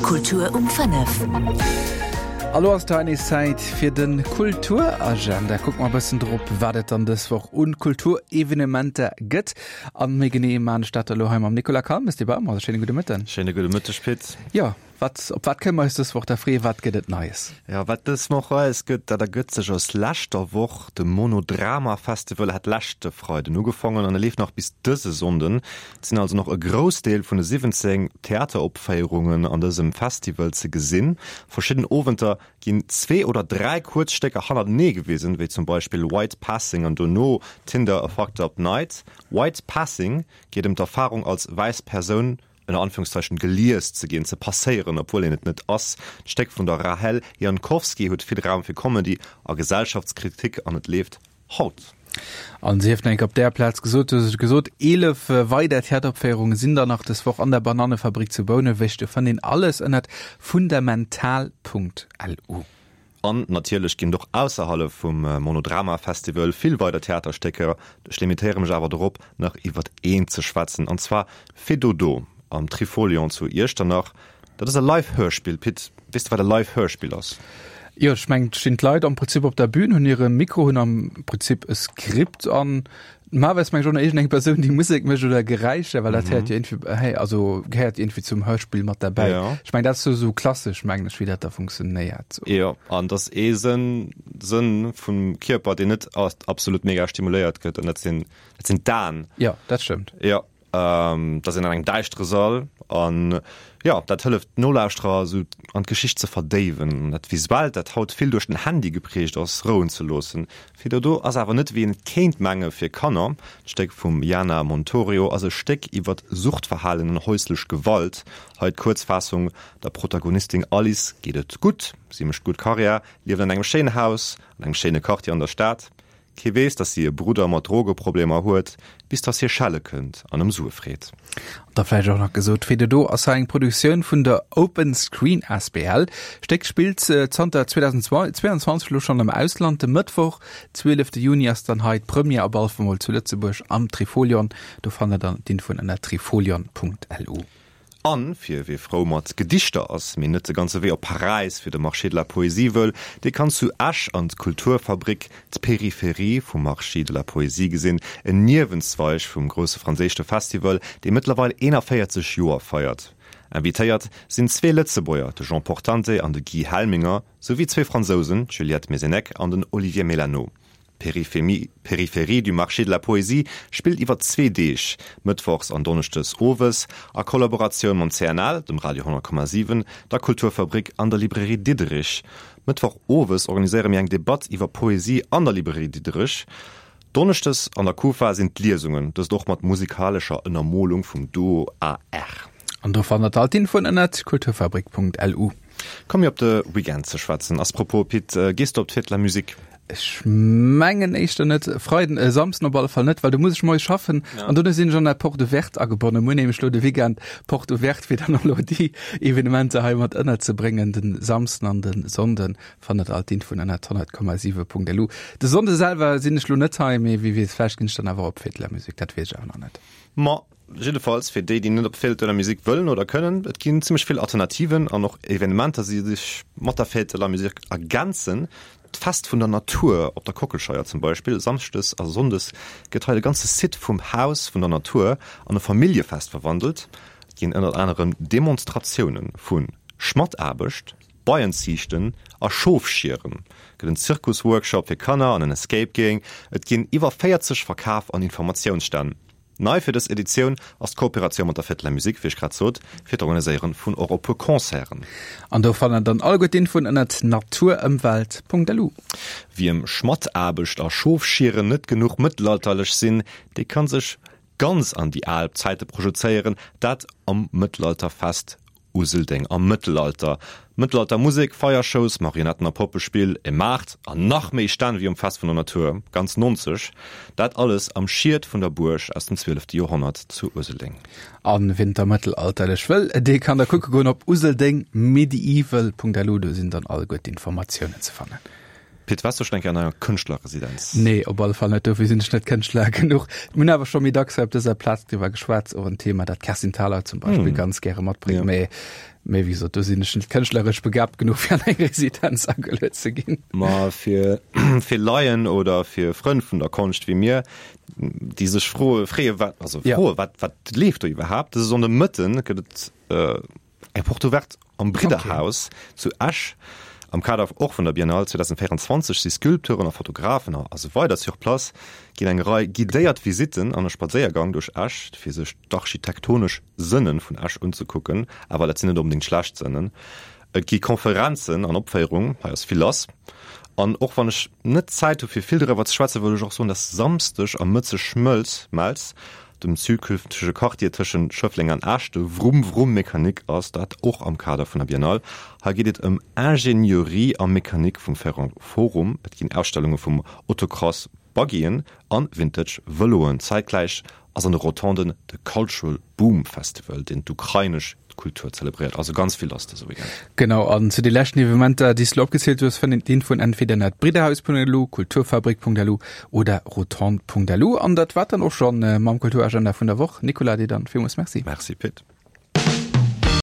Kultur um 5. A lo ass et hei nees Zäit fir de Kulturagenda. Kucke mer e bëssen drop, wat et dann dës Woch un Kulturevenementer gëtt. An méi genee maan ech dat elo hei mam Nicolas Calmes, dee bei mer ass. Schéine gudde Mëtten. Schéine gudde Mëtteg, Pit. Jo, wat, op wat kënne mer eis dës Woch da freeën? Wat gëtt et Neies? Jo, wat dës Woch Neies gëtt, dat ergëtt sech aus leschter Woch. De Monodrama Festival hat leschte Freiden ugefongen an e leeft nach bis dëse Sonnden. Et sinn also nach e Groussdeel vun de 17 Theateropféierungen an dësem Festival ze gesinn. Verschidden Owenter ginn zwee oder dräi kuerz Stécker hannertenee gewisen, wéi zum Beispill White Passing an dono Tinder, A Fucked Up Night. White Passing geet ëm d'Erfarung als wäiss Persoun ënner Anführungszeichen gelies ze ginn, ze passéieren, obwuel een et net ass. D'Stéck vun der Rahel Jankowski huet vill Raum fir Comedy a Gesellschaftskritik an et leeft Haut. An sief nach eng Kéier op där Plaz gesot, du hues et gesot, 11 weider Theateropféierunge sinn dann nach dës Woch an der Banannefabrik zu Bouneweg. Do fënnt een alles ënnert fundamental.lu. An natierlech ginn et och ausserhalef vum Monodrama Festival vill weider Theaterstécker. Ech limitéiere mech awer dorop, nach iwwert eent ze schwätzen, an zwar Fais Dodo am Trifolion zu Iechternach. Dat ass e Live-Hörspill. Pit, weess de wat e Live-Hörspill ass? Jo, ech mengen, et stinn d'Leit am Prinzip op der Bühn, hunn hire Mikro, hunn am Prinzip e Skript an normalerweis meng ech och nach iergendeng Persoun, déi Musek mécht oder Geräischer, well dat héiert jo iergendwéi, hey, also gehéiert iergendwéi zum Hörspill mat derbäi. Jo. Ech mengen, dat ass sou, sou klassesch, mengen ech, wéi dat da funktionéiert. Jo, an et ass ee Sënn, Sënn vum Kierper, deen net absolut mega stimuléiert gëtt, an dat sinn, dat sinn d'Aen. Jo, dat stëmmt. Jo. Et ass een an engem däischtere Sall an jo, dat hëlleft d'Nolauschterer esou an d'Geschicht ze verdéiwen an dat Visuellt, dat haut vill duerch den Handy geprägt ass, rouen ze loossen. Fir Dodo ass awer net wéi een et kéint menge fir Kanner. D'Stéck vum Jana Montorio ass e Stéck iwwert Suchtverhalen an häuslech Gewalt. Hei d'Kuerzfaassung, Der Protagonistin Alice geet et gutt, si mécht gutt Karriär, lieft an engem schéinen Haus an engem schéine Quartier an der Stad. Kee weess, dass si e Brudder mat Drogeproblemer huet, bis dass hie schelle kënnt an ëm Sue freet. An da vläicht och nach gesot, Fais Dodo ass hei eng Produktioun vun der Open Screen asbl. D'Stéck spillt zanter 2022 elo schonn am Ausland. De Mëttwoch, 12 Juni ass dann hei d'Première op alle Fall mol zu Lëtzebuerg am Trifolion. Do fannt der dann d'Infoen ënner trifolion.lu. An fir wie frou mat Gedichter ass, mee net de ganze Wee op Paräis fir de Marché de la Poésie wëll, dee kann zu Esch an d'Kulturfabrik, d'Périphérie vum Marché de la Poésie gesinn, en Niewenzweig vum grousse franséischte Festival, dee mëttlerweil 41 Joer feiert. Invitéiert sinn zwee Lëtzebuerger, de Jean Portante an de Guy Helminger, souwéi zwee Fransousen, d'Juliette Mezenec an den Olivier Mélano. D'Périphérie du Marché de la Poésie spillt iwwer zwee Deeg, mëttwochs an donneschdes owes, a Kollaboratioun mam CNL, dem Radio 100,7, der Kulturfabrik an der Librairie Diderich. Mëttwoch owes organiséiere mir eng Debatt iwwer Poesie an der Librairie Diderich. Donneschdes an der Kufa sinn d'Liesungen, dëst och mat musikalescher Ënnermolung vum Duo AR. An do fannt der all d'Infoen ënnert kulturfabrik.lu. Komme mir op de Weekend ze schwätzen. As propos, Pit, gees de op d'Fête de la Musique? Ech mengen éischter net. Freiden, äh, Samsden op alle Fall net, well do muss ech moies schaffen. Ja. An dunne sinn ech an der Porte Ouverte agebonnen. Muer nämlech lo de Weekend Porte Ouverte, fir dann och lo déi Evenementer hei mat ënnerzebréngen. Den Samsden an den Sonnden fannt der all d'Infoen ënnert 100,7.lu. De Sonnde selwer sinn ech lo net hei, mee wie weess, vläicht ginn ech dann awer op Fête de la Musique, dat weess ech awer nach net. Ma Jiddefalls fir déi, déi net op d'Fête de la Musique wëllen oder kënnen, et ginn zimmlech vill Alternativen an och Evenementer, déi sech mat der Fête de la Musique ergänzen. D'Fest vun der Natur op der Kockelscheier zum Beispill, Samschdes a Sonndes gëtt hei de ganze Site vum Haus vun der Natur an e Familljefest verwandelt. Et ginn ënnert anerem Demonstratioune vu Schmattaarbecht, Beienziichten a Schofschieren, gëtt en Zirkusworkshop fir Kanner an en Escape Game. Et ginn iwwer 40 Verkaf an Informatiounsstänn. Nei fir dës Editioun ass d'Kooperatioun mat der Fête de la Musique, wéi ech grad sot, fir d'Organiséieren vun och e puer Concerten. An do fannt der dann alleguer d'Infoen ënnert naturëmwelt.lu. Wiem Schmattaarbecht a Schofschieren net genuch mëttelalterlech sinn, dee kann sech ganz an déi al Zäite projezéieren, dat am Mëttelalterfest Useldeng am Mëttelalter, Mëttelaltermusek, Feiershows, Marionetten a Poppespill, e Maart an nach méi Stänn wéi um Fest vun der Natur, ganz 90, dat alles am Schiet vun der Buerg aus dem zwielefte Joerhonnert zu Useldeng. A wien da mëttelalterlech wëll, dee kann da kucke goen op useldengmedieval.lu, do sinn dann alleguer d'Informatiounen ze fannen. Pit, waars du schonn eng Kéier an enger Kënschtlerresidenz? Nee, op alle Fall net. Dofir sinn ech net Kënschtler genuch. Mir hunn awer scho méi dacks hei op dëser Plaz driwwer geschwat, och en Thema, dat d'Kerstin Thalau zum Beispill ganz gäre matbréngt. Mä, mä wéi gesot, do sinn ech net kënschtleresch begaabt genuch, fir an eng Residenz ageluet ze ginn. Ma fir, fir Laien oder fir Frënn vun der Konscht wéi mir, déi sech froe, freeë wat, also froe wat, wat leeft do iwwerhaapt, dëse Sonndemëtten gëtt et Eng Porte ouverte am Bridderhaus zu Esch. Am Kader och vun der Biennale 2024 si Sculpteuren a Fotografen a sou weider sur place, ginn eng Rei guidéiert Visitten an e Spadséiergang duerch Esch, fir sech d'architektonesch Sënne vun Esch unzekucken. Awer dat sinn net onbedéngt schlecht Sënnen. Et gi Konferenzen an Opféierungen, hei ass vill lass. An och wann ech net Zäit hu fir vill driwwer ze schwätzen, wëll ech och soen, dass Samsdeg am Mëtze Schmëlz, Melz, dem zukünftege Quartier tëschent Schëffleng an Esch, de Vroom Vroom Mécanique ass dat och am Kader vun der Biennale. Hei geet et ëm Ingenieurie a Mécanique vum Ferrand Forum. Et ginn Ausstellunge vum Autocross, Buggyen an Vintage Vëloen. Zäitgläich ass an de Rotonden de Cultural Boom Festival, deen d'ukrainesch Kultur zelebréiert. Also ganz vill lass dëse Weekend. Genau, an zu de leschten Evenementer, déi s de elo opgezielt hues, fënnt een d'Infoen entweder ënnert bridderhaus.lu, kulturfabrik.lu oder rotonde.lu. An dat war dann och schonn mam Kulturagenda vun der Woch. Nicolas, dir dann villmools Merci. Merci Pit.